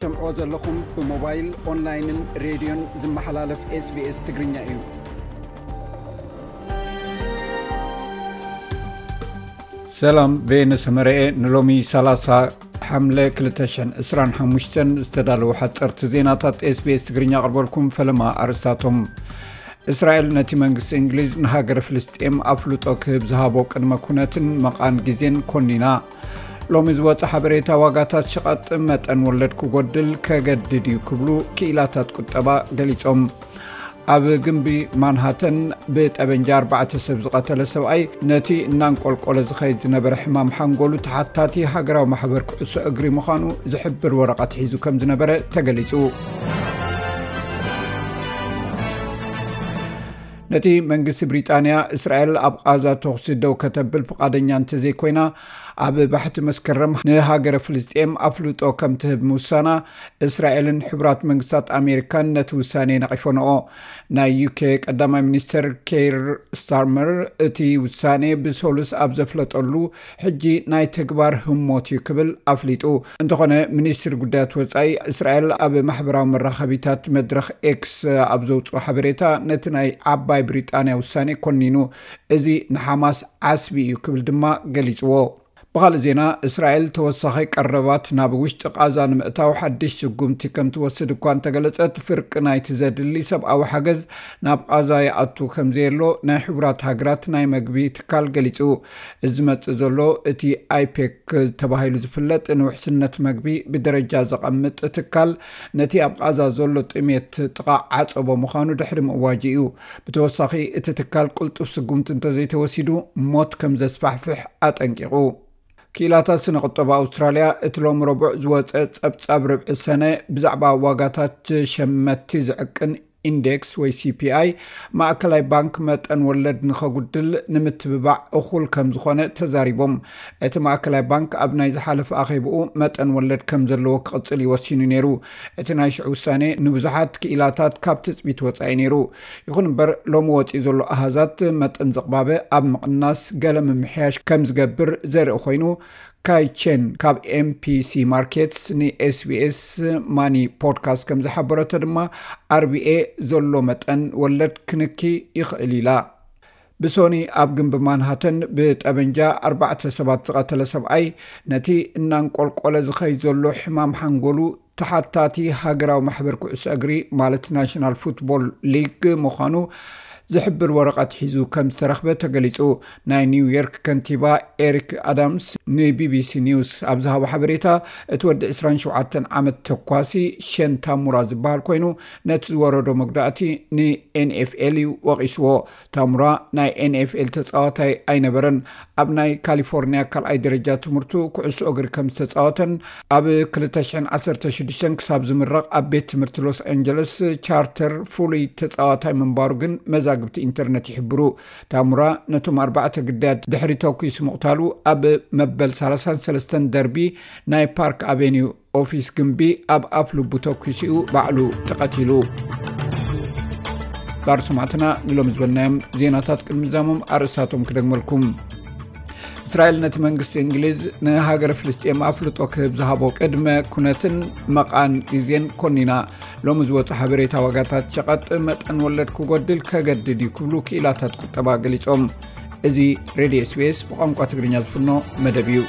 ትሰምዕዎ ዘለኹም ብሞባይል፣ ኦንላይንን ሬድዮን ዝመሓላለፍ SBS ትግርኛ እዩ። ሰላም፣ ቤነ ሰመረኤ። ንሎሚ ሰላሳ ሓምለ ክልተ ሽሕን ዕስራን ሓሙሽተን ዝተዳለዉ ሓፀርቲ ዜናታት SBS ትግርኛ ኣቕርበልኩም። ፈለማ ኣርእስታቶም። እስራኤል ነቲ መንግስቲ እንግሊዝ ንሃገረ ፍልስጤም ኣፍልጦ ክህብ ዝሃቦ ቅድመ ኩነትን መቓን ግዜን ኮኒና። ሎሚ ዝወፀ ሓበሬታ፣ ዋጋታት ሸቐጥ መጠን ወለድ ክጎድል ከገድድ እዩ ክብሉ ክኢላታት ቁጠባ ገሊጾም። ኣብ ግንቢ ማንሃተን ብጠበንጃ ኣርባዕተ ሰብ ዝቐተለ ሰብኣይ፣ ነቲ እናንቆልቆለ ዝኸይድ ዝነበረ ሕማም ሓንጎሉ ተሓታቲ ሃገራዊ ማሕበር ኩዕሶ እግሪ ምዃኑ ዝሕብር ወረቐት ሒዙ ከም ዝነበረ ተገሊጹ። ነቲ መንግስቲ ብሪጣንያ፣ እስራኤል ኣብ ቓዛ ተኹሲ ደው ከተብል ፍቓደኛ እንተዘይኮይና፣ ኣብ ባሕቲ መስከረም ንሃገረ ፍልስጤም ኣፍልጦ ከም ትህብ ምውሳና፣ እስራኤልን ሕቡራት መንግስታት ኣሜሪካን ነቲ ውሳኔ ነቒፎንኦ። ናይ ዩኬ ቀዳማይ ሚኒስተር ኬር ስታርመር፣ እቲ ውሳኔ ብሰሉስ ኣብ ዘፍለጠሉ፣ ሕጂ ናይ ተግባር ህሞት እዩ ክብል ኣፍሊጡ። እንተኾነ፣ ሚኒስትሪ ጉዳያት ወጻኢ እስራኤል ኣብ ማሕበራዊ መራኸቢታት መድረኽ ኤክስ ኣብ ዘውፅኦ ሓበሬታ፣ ነቲ ናይ ዓባይ ብሪጣንያ ውሳኔ ኮኒኑ። እዚ ንሓማስ ዓስቢ እዩ ክብል ድማ ገሊጽዎ። ብኻልእ ዜና፣ እስራኤል ተወሳኺ ቀረባት ናብ ውሽጢ ቓዛ ንምእታው ሓድሽ ስጉምቲ ከም ትወስድ እኳ እንተገለጸት፣ ፍርቂ ናይቲ ዘድሊ ሰብኣዊ ሓገዝ ናብ ቓዛ ይኣቱ ከም ዘየሎ ናይ ሕቡራት ሃገራት ናይ መግቢ ትካል ገሊጹ። እዚ ዝመጽእ ዘሎ፣ እቲ ኣይፔክ ተባሂሉ ዝፍለጥ ንውሕስነት መግቢ ብደረጃ ዘቐምጥ ትካል፣ ነቲ ኣብ ቓዛ ዘሎ ጥሜት ጥቓ ዓጸቦ ምዃኑ ድሕሪ ምእዋጁ እዩ። ብተወሳኺ፣ እቲ ትካል ቅልጡፍ ስጉምቲ እንተዘይተወሲዱ፣ ሞት ከም ዘስፋሕፍሕ ኣጠንቂቑ። ክኢላታት ስነ ቁጠባ ኣውስትራልያ፣ እቲ ሎሚ ረቡዕ ዝወጸ ጸብጻብ ርብዒ ሰነ ብዛዕባ ዋጋታት ሸመትቲ ዝዕቅን ኢንዴክስ ወይ ሲፒኣይ፣ ማእከላይ ባንክ መጠን ወለድ ንኸጉድል ንምትብባዕ እኹል ከም ዝኾነ ተዛሪቦም። እቲ ማእከላይ ባንክ ኣብ ናይ ዝሓለፈ ኣኼብኡ፣ መጠን ወለድ ከም ዘለዎ ክቕጽል እዩ ወሲኑ ነይሩ። እቲ ናይ ሽዑ ውሳኔ ንብዙሓት ክኢላታት ካብ ትጽቢት ወጻኢ ነይሩ። ይኹን እምበር፣ ሎሚ ወጺኡ ዘሎ ኣሃዛት፣ መጠን ዝቕባበ ኣብ ምቕናስ ገለ ምምሕያሽ ከም ዝገብር ዘርኢ ኮይኑ፣ ካይ ቼን ካብ ኤምፒሲ ማርኬትስ ንኤስቢኤስ ማኒ ፖድካስት ከም ዝሓበረቶ ድማ፣ ኣርቢኤ ዘሎ መጠን ወለድ ክንኪ ይኽእል ኢላ። ብሶኒ ኣብ ግንቢ ማንሃተን ብጠበንጃ ኣርባዕተ ሰባት ዝቐተለ ሰብኣይ፣ ነቲ እናንቆልቆለ ዝኸይድ ዘሎ ሕማም ሓንጎሉ ተሓታቲ ሃገራዊ ማሕበር ኩዕሶ እግሪ፣ ማለት ናሽናል ፉትቦል ሊግ ምዃኑ ዝሕብር ወረቐት ሒዙ ከም ዝተረኽበ ተገሊጹ። ናይ ኒውዮርክ ከንቲባ ኤሪክ ኣዳምስ ንቢቢሲ ኒውስ ኣብ ዝሃቦ ሓበሬታ፣ እቲ ወዲ ዕስራን ሸውዓተን ዓመት ተኳሲ ሸን ታሙራ ዝበሃል ኮይኑ፣ ነቲ ዝወረዶ መጉዳእቲ ንኤንኤፍኤል እዩ ወቒስዎ። ታሙራ ናይ ኤንኤፍኤል ተጻዋታይ ኣይነበረን። ኣብ ናይ ካሊፎርኒያ ካልኣይ ደረጃ ትምህርቱ ኩዕሶ እግሪ ከም ዝተጻወተን፣ ኣብ ክልተ ሽሕን ዓሰርተ ሽዱሽተን ክሳብ ዝምረቕ ኣብ ቤት ትምህርቲ ሎስ ኣንጀለስ ቻርተር ፍሉይ ተጻዋታይ ምንባሩ ግን መዛግብቲ ኢንተርነት ይሕብሩ። ታሙራ ነቶም ኣርባዕተ ግዳያት ድሕሪ ተኲሱ ምቕታሉ፣ ኣብ መበል ሰላሳን ሰለስተን ደርቢ ናይ ፓርክ ኣቬኒው ኦፊስ ግንቢ ኣብ ኣፍ ልቡ ተኲሱ'ዩ ባዕሉ ተቐቲሉ። ባር ሰማዕትና፣ ንሎም ዝበልናዮም ዜናታት ቅድሚ ዛሞም ኣርእስታቶም ክደግመልኩም። እስራኤል ነቲ መንግስቲ እንግሊዝ ንሃገረ ፍልስጤም ኣፍልጦ ክህብ ዝሃቦ ቅድመ ኩነትን መቓን ግዜን ኮኒና። ሎሚ ዝወፀ ሓበሬታ፣ ዋጋታት ሸቐጥ መጠን ወለድ ክጎድል ከገድድ እዩ ክብሉ ክኢላታት ቁጠባ ገሊጾም። እዚ ሬድዮ ኤስቢኤስ ብቋንቋ ትግርኛ ዝፍኖ መደብ እዩ።